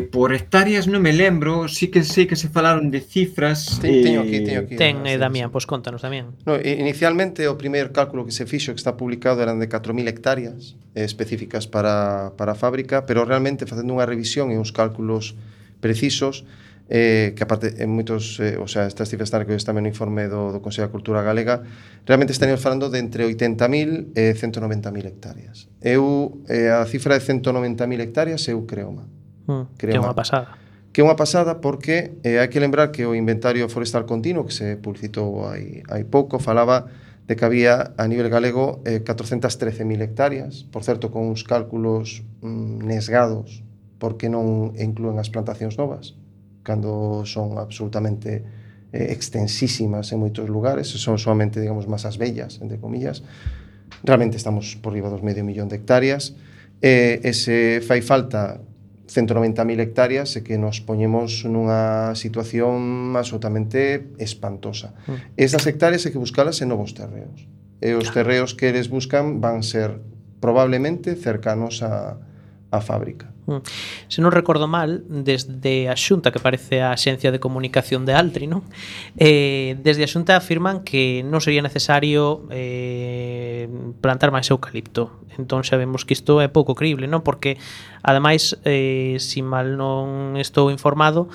Por hectáreas non me lembro, sí que sei que se falaron de cifras. Teño aquí. Ten, Damián, pois contanos, Damián. No, inicialmente, o primeiro cálculo que se fixo, que está publicado, eran de 4.000 hectáreas específicas para a fábrica, pero realmente, facendo unha revisión e uns cálculos precisos, que aparte, en moitos, estas cifras están recogidas tamén no informe do Consello da Cultura Galega, realmente estaríamos falando de entre 80.000 e 190.000 hectáreas. A cifra de 190.000 hectáreas, eu creo-ma. Que é unha pasada. Que é unha pasada porque hai que lembrar que o Inventario Forestal Continuo, que se publicitou hai pouco, falaba de que había a nivel galego 413.000 hectáreas, por certo, con uns cálculos nesgados, porque non incluen as plantacións novas, cando son absolutamente extensísimas en moitos lugares, son solamente, digamos, masas bellas, entre comillas. Realmente estamos por riba dos 500.000 de hectáreas, e se fai falta 190.000 hectáreas e que nos poñemos nunha situación absolutamente espantosa. Esas hectáreas hai que buscalas en novos terreos. E os terreos que eles buscan van ser probablemente cercanos á fábrica. Se non recordo mal, desde a Xunta, que parece a Axencia de Comunicación de Altri, non? Desde a Xunta afirman que non sería necesario plantar máis eucalipto. Entón sabemos que isto é pouco creíble, non? Porque, ademais, se mal non estou informado,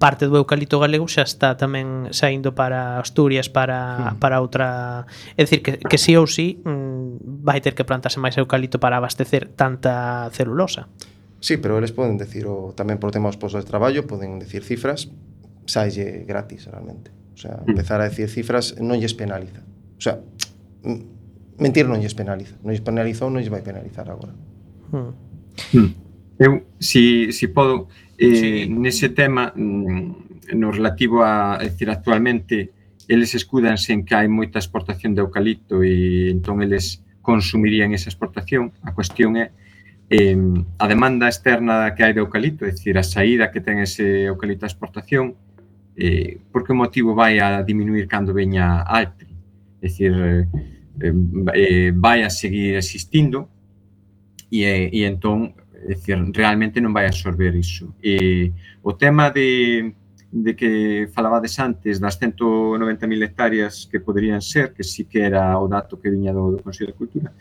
parte do eucalipto galego xa está tamén saindo para Asturias, para outra... É dicir, que sí ou sí vai ter que plantarse máis eucalipto para abastecer tanta celulosa. Sí, pero eles poden decir, tamén por tema dos postos de traballo, poden decir cifras, saille gratis, realmente. O sea, empezar a decir cifras non lles penaliza. O sea, mentir non lles penaliza. Non lles penalizou, non lles vai penalizar agora. Eu, si podo, nese tema, no relativo a decir, actualmente, eles escudanse en que hai moita exportación de eucalipto e entón eles consumirían esa exportación. A cuestión é a demanda externa que hai de eucalipto, é dicir, a saída que ten ese eucalipto a exportación, por que motivo vai a diminuir cando veña Altri? É dicir, vai a seguir existindo e entón, é dicir, realmente non vai absorber iso. O tema de que falabades antes das 190.000 hectáreas que poderían ser, que sí que era o dato que viña do Consello de Cultura,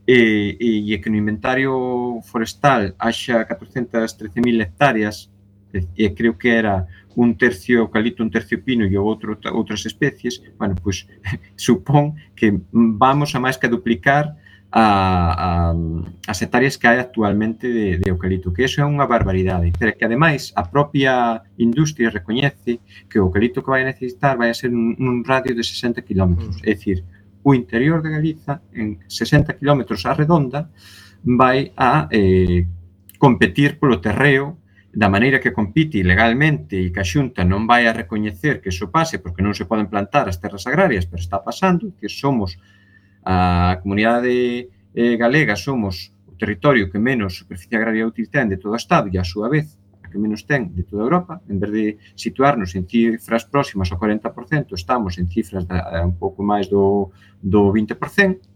e que no inventario forestal haxa 413.000 hectáreas, e creo que era un tercio eucalipto, un tercio pino e outras especies, bueno, pois supón que vamos a máis que duplicar as hectáreas que hai actualmente de eucalipto, que iso é unha barbaridade, pero que ademais a propia industria recoñece que o eucalipto que vai a necesitar vai a ser un radio de 60 km, é dicir, o interior de Galiza en 60 km á redonda vai a competir polo terreo da maneira que compite ilegalmente e que a Xunta non vai a recoñecer que iso pase porque non se poden plantar as terras agrarias, pero está pasando, que somos a comunidade galega, somos o territorio que menos superficie agraria útil ten de todo o Estado e, a súa vez, a que menos ten de toda Europa. En vez de situarnos en cifras próximas ao 40%, estamos en cifras un pouco máis do 20%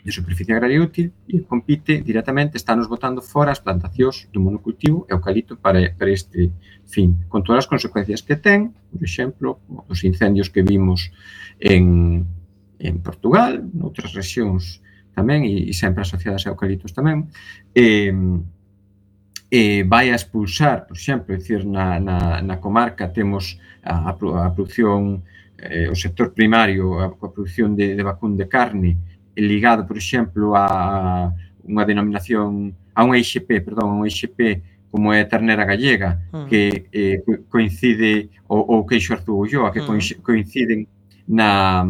de superficie agraria útil e compite directamente, estános botando fora as plantacións do monocultivo eucalipto para este fin, con todas as consecuencias que ten, por exemplo, os incendios que vimos en Portugal, noutras rexións tamén, e sempre asociadas a eucaliptos tamén, vai a expulsar, por exemplo, é dicir, na comarca temos a produción, o sector primario, a produción de vacún de carne, ligado, por exemplo, a unha denominación, a unha IXP, como é a ternera gallega, que coincide, ou queixo Arzúa, que coinciden na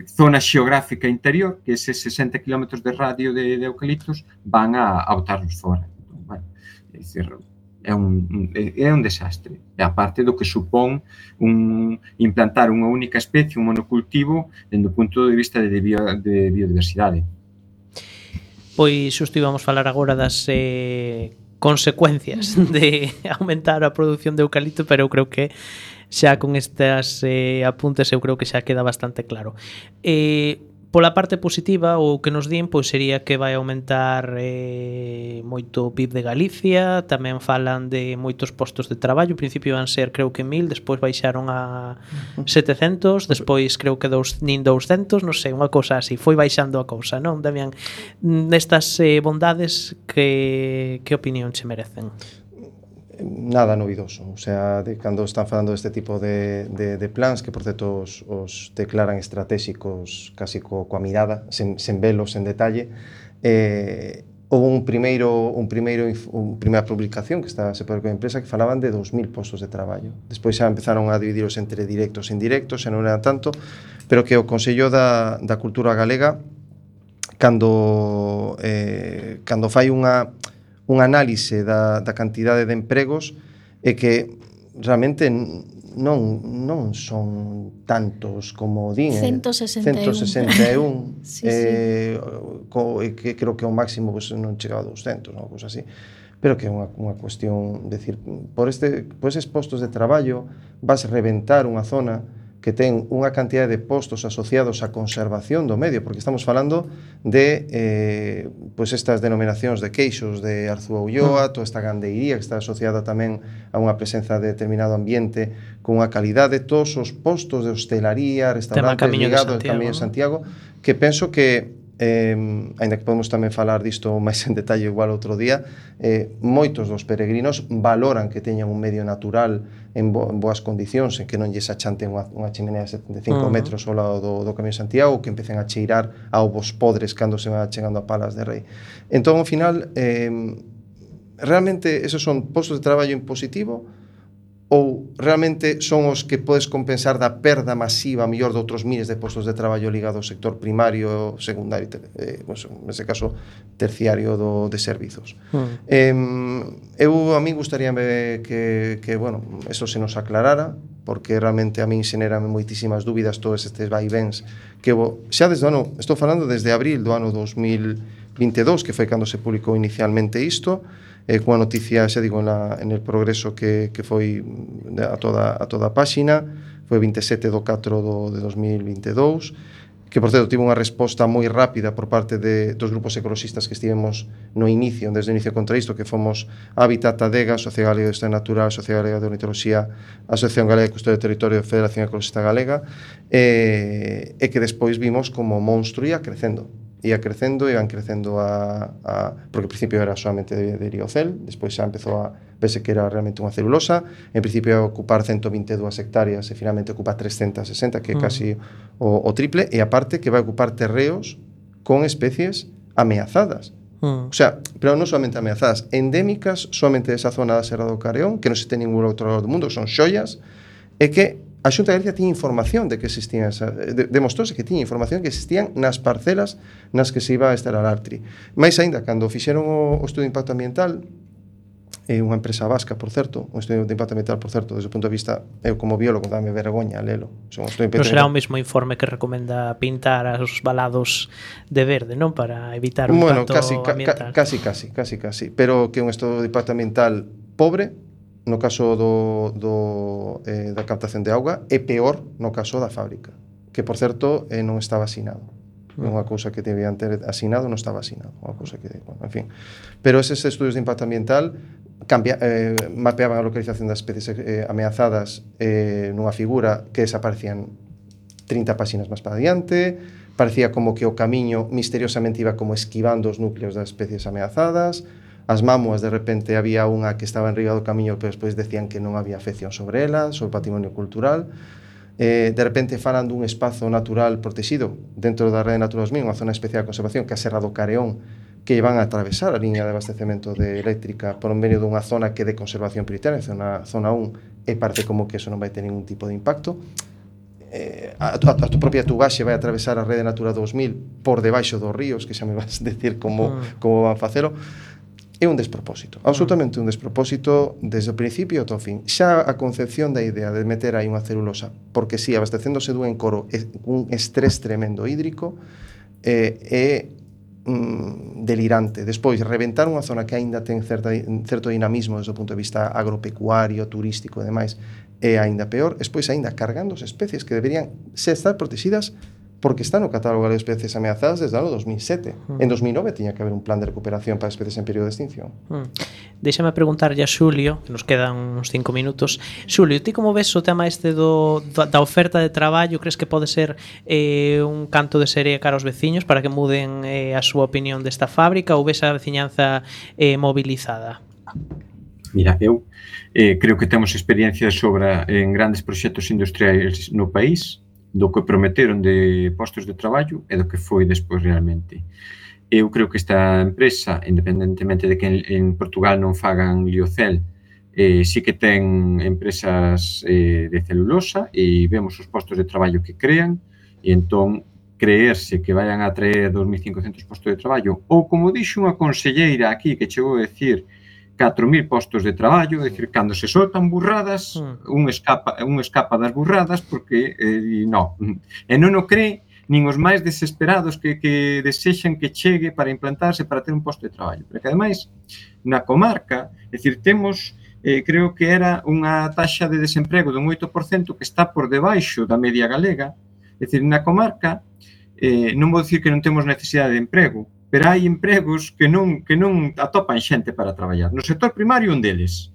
zona xeográfica interior, que eses 60 km de radio de eucaliptos van a botarnos fora. Bueno, é dicir, é un desastre. E a parte do que supón implantar unha única especie, un monocultivo, dende o punto de vista de biodiversidade. Pois xusto íbamos falar agora das consecuencias de aumentar a produción de eucalipto, pero eu creo que xa con estas apuntes eu creo que xa queda bastante claro. Pola parte positiva, o que nos din pois sería que vai aumentar moito o PIB de Galicia, tamén falan de moitos postos de traballo, ao principio van ser creo que 1000, despois baixaron a 700, despois creo que nin 200, non sei, unha cousa así, foi baixando a cousa, non, Damián? Nestas bondades, que opinión che merecen? Nada novidoso, o sea, cando están falando deste tipo de plans que por certo os declaran estratégicos casi coa mirada, sen velos en detalle, houve unha publicación que está separada coa empresa que falaban de 2000 postos de traballo. Despois xa empezaron a dividiros entre directos e indirectos, xa non era tanto, pero que o Consello da Cultura Galega cando fai un análise da cantidade de empregos é que realmente non son tantos como din. 161. Sí. Que creo que o máximo pues, non chega a 200, ou cousa así. Pero que é unha cuestión, decir, por eses postos de traballo vas reventar unha zona que ten unha cantidad de postos asociados á conservación do medio, porque estamos falando de pues estas denominacións de queixos de Arzúa Ulloa, toda esta gandeiría que está asociada tamén a unha presenza de determinado ambiente con unha calidade, todos os postos de hostelaría, restaurantes ligados ao Camiño de Santiago, que penso que aínda que podemos tamén falar disto máis en detalle igual outro día, moitos dos peregrinos valoran que teñan un medio natural en boas condicións, en que non lles achanten unha chimenea de 75 metros ao lado do Camiño de Santiago, que empecen a cheirar a ovos podres cando se van chegando a Palas de Rei. Entón, ao final, realmente esos son postos de traballo en positivo ou realmente son os que podes compensar da perda masiva mellor de outros miles de postos de traballo ligados ao sector primario, secundario, pues, nese caso terciario de servizos. A mí gustaríame que bueno, eso se nos aclarara, porque realmente a min xenerame moitísimas dúbidas todos estes vaivens que xa desde o ano, estou falando desde abril do ano 2022, que foi cando se publicou inicialmente isto, cunha noticia, xa digo, en el progreso que foi a toda a páxina, foi 27 de 4 de 2022, que, por certo, tivo unha resposta moi rápida por parte dos grupos ecoloxistas que estivemos desde o inicio contra isto, que fomos Hábitat, ADEGA, Asociación Galega de Historia Natural, Asociación Galega de Ornitoloxía, Asociación Galega de Custodia do Territorio, Federación Ecologista Galega, e que despois vimos como monstro ia crecendo, iban crecendo porque ao principio era solamente de Liocel, despois xa empezou a verse que era realmente unha celulosa, en principio ia ocupar 122 hectáreas e finalmente ocupa 360, que é casi o triple, e aparte que vai ocupar terreos con especies ameazadas. O sea, pero non solamente ameazadas, endémicas solamente desa zona da Serra do Careón, que non se ten ningún outro lado do mundo, que son xoias, e que a Xunta de Galicia tiña información de que existían demostrouse que tiña información que existían nas parcelas nas que se iba a instalar Artri. Mais aínda, cando fixeron o estudo de impacto ambiental, unha empresa vasca, por certo, un estudio de impacto ambiental, por certo, desde o punto de vista, eu como biólogo dame vergoña lelo. Non será o mesmo informe que recomenda pintar os valados de verde, non? Para evitar o impacto ambiental. Casi. Pero que un estudo de impacto ambiental pobre, no caso da captación de auga, é peor no caso da fábrica, que, por certo, non estaba asinado. Unha cousa que debían ter asinado non estaba asinado, unha cousa que, bueno, en fin. Pero eses estudios de impacto ambiental mapeaban a localización das especies ameazadas nunha figura que desaparecían 30 páxinas máis para adiante, parecía como que o camiño misteriosamente iba como esquivando os núcleos das especies ameazadas, as mámoas de repente había unha que estaba enriba do camiño pero despois decían que non había afección sobre elas, sobre o patrimonio cultural. De repente falan dun espazo natural protegido dentro da Rede Natura 2000, unha zona especial de conservación que é a Serra do Careón, que van a atravesar a liña de abastecemento de eléctrica por medio dunha zona que é de conservación prioritaria, zona 1, e parece como que eso non vai ter ningún tipo de impacto. A tu propia tugaxe vai atravesar a Rede Natura 2000 por debaixo dos ríos, que xa me vas decir como van facelo. É un despropósito, absolutamente un despropósito desde o principio ata o fin. Xa a concepción da idea de meter aí unha celulosa, porque si, abastecéndose dun encoro un estrés tremendo hídrico, é delirante. Despois, reventar unha zona que aínda ten certo dinamismo desde o punto de vista agropecuario, turístico e demais, é aínda peor. Despois, aínda cargando as especies que deberían estar protegidas porque está no catálogo de especies ameazadas desde o ano 2007. En 2009 tiña que haber un plan de recuperación para especies en período de extinción. Déxame preguntarlle a Xulio, que nos quedan uns 5 minutos. Xulio, ti como ves o tema este da oferta de traballo? Crees que pode ser un canto de serie cara aos veciños para que muden a súa opinión desta fábrica ou ves a veciñanza mobilizada? Mira, eu creo que temos experiencia sobre en grandes proxectos industriais no país, do que prometeron de postos de traballo e do que foi despois realmente. Eu creo que esta empresa, independentemente de que en Portugal non fagan liocel, sí que ten empresas de celulosa e vemos os postos de traballo que crean e entón creerse que vayan a traer 2.500 postos de traballo ou, como dixo unha conselleira aquí que chegou a decir 4.000 postos de traballo, é dicir, cando se soltan burradas, un escapa das burradas porque non. E non o cree nin os máis desesperados que desexan que chegue para implantarse para ter un posto de traballo. Porque, ademais, na comarca, é dicir, temos, creo que era unha taxa de desemprego dun 8% que está por debaixo da media galega. É dicir, na comarca, non vou dicir que non temos necesidade de emprego, pero hai empregos que non atopan xente para traballar. No sector primario, un deles.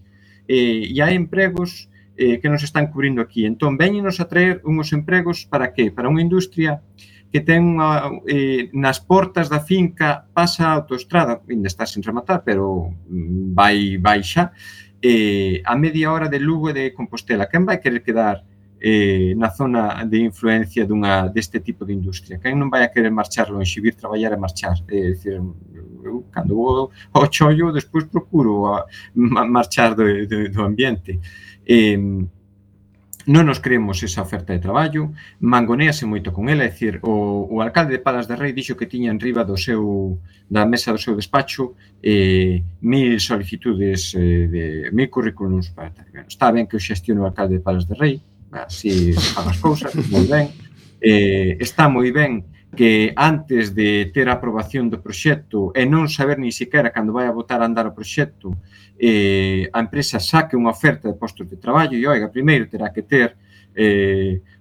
E hai empregos que nos están cubrindo aquí. Entón, véñenos a traer unhos empregos para que? Para unha industria que ten nas portas da finca, pasa a autoestrada, ainda está sin rematar, pero vai xa, a media hora de Lugo e de Compostela. Quen vai querer quedar na zona de influencia deste tipo de industria? Quen non vai a querer marchar longe, vir traballar e marchar? É dicir, eu, cando vou ao chollo, despois procuro marchar do ambiente. Non nos creemos esa oferta de traballo, mangonease moito con ela, é dicir, o alcalde de Palas de Rei dixo que tiña enriba da mesa do seu despacho 1.000 solicitudes, 1.000 currículums para tal. Está ben que o xestione o alcalde de Palas de Rei, así fan as cousas, moi ben. Está moi ben que antes de ter a aprobación do proxecto e non saber ni siquiera cando vai a botar a andar o proxecto, a empresa saque unha oferta de postos de traballo e, oiga, primeiro terá que ter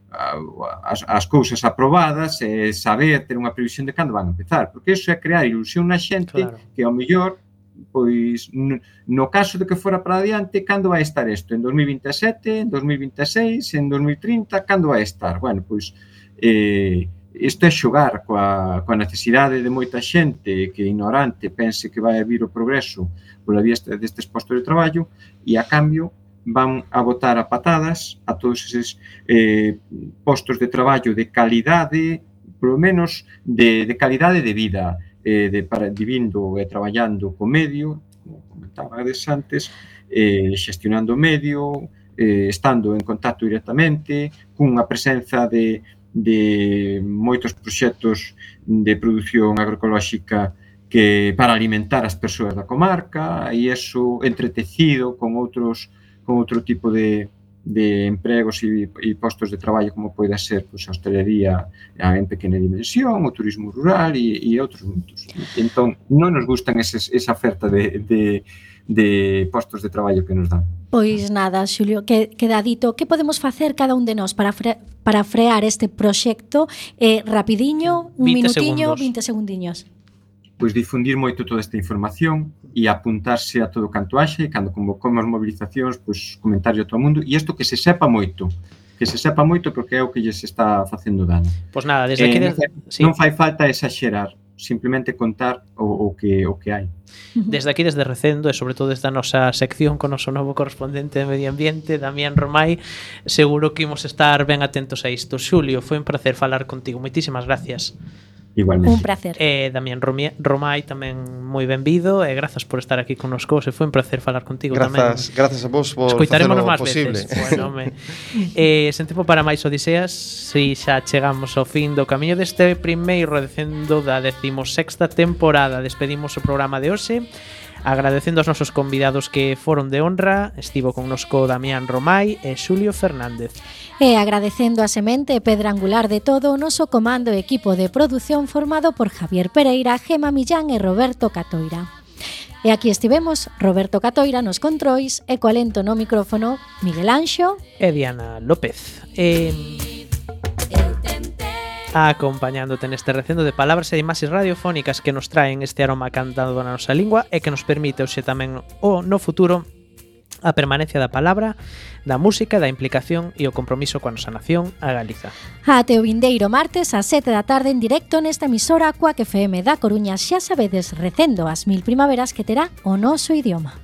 as cousas aprobadas e saber ter unha previsión de cando van a empezar, porque iso é crear ilusión na xente que ao mellor, pois, no caso de que fora para adiante, cando vai estar isto? En 2027, en 2026, en 2030, cando vai estar? Bueno, pois, isto é xogar coa necesidade de moita xente que ignorante pense que vai vir o progreso pola vía destes postos de traballo e, a cambio, van a botar a patadas a todos eses postos de traballo de calidade polo menos de calidade de vida, vivindo e traballando co medio, como comentabades antes, xestionando o medio, estando en contacto directamente, cunha presenza de moitos proxectos de produción agroecolóxica que para alimentar as persoas da comarca, e iso entretecido con outro tipo de empregos e postos de traballo, como pode ser a hostelería en pequena dimensión, o turismo rural e outros muitos. Entón, non nos gustan esa oferta de postos de traballo que nos dan. Pois nada, Xulio, queda dito, que podemos facer cada un de nós para frear este proxecto rapidiño, un minutiño, 20 segundiños? Pois difundir moito toda esta información e apuntarse a todo canto haxe, cando convocamos movilizacións, pois comentarlo a todo o mundo, e isto que se sepa moito, porque é o que lles está facendo dano. Pois nada, desde aquí... Non fai falta exaxerar, simplemente contar o que hai. Desde aquí, desde Recendo, e sobre todo desde a nosa sección con o noso novo correspondente de Medio Ambiente, Damián Romai, seguro que imos estar ben atentos a isto. Xulio, foi un placer falar contigo, moitísimas gracias. Igualmente. Un placer. Damián Romai tamén moi benvido, e grazas por estar aquí connosco, se foi un placer falar contigo tamén. Grazas a vos por facelo máis posible. Bueno, sen tempo para máis odiseas, si xa chegamos ao fin do camiño deste primeiro Recendo da 16ª temporada. Despedimos o programa de hoxe agradecendo aos nosos convidados que foron de honra. Estivo connosco Damián Romai e Xulio Fernández. E agradecendo a semente e pedra angular de todo o noso comando e equipo de produción formado por Javier Pereira, Gema Millán e Roberto Catoira. E aquí estivemos Roberto Catoira nos controis e coa lento no micrófono Miguel Anxo e Diana López. Acompañándote neste recendo de palabras e imaxes radiofónicas que nos traen este aroma cantado na nosa lingua e que nos permite hoxe tamén no futuro a permanencia da palabra, da música, da implicación e o compromiso coa nosa nación, a Galiza. Ate o vindeiro martes ás 7 da tarde en directo nesta emisora Cuac FM da Coruña, xa sabedes, Recendo as 1000 primaveras que terá o noso idioma.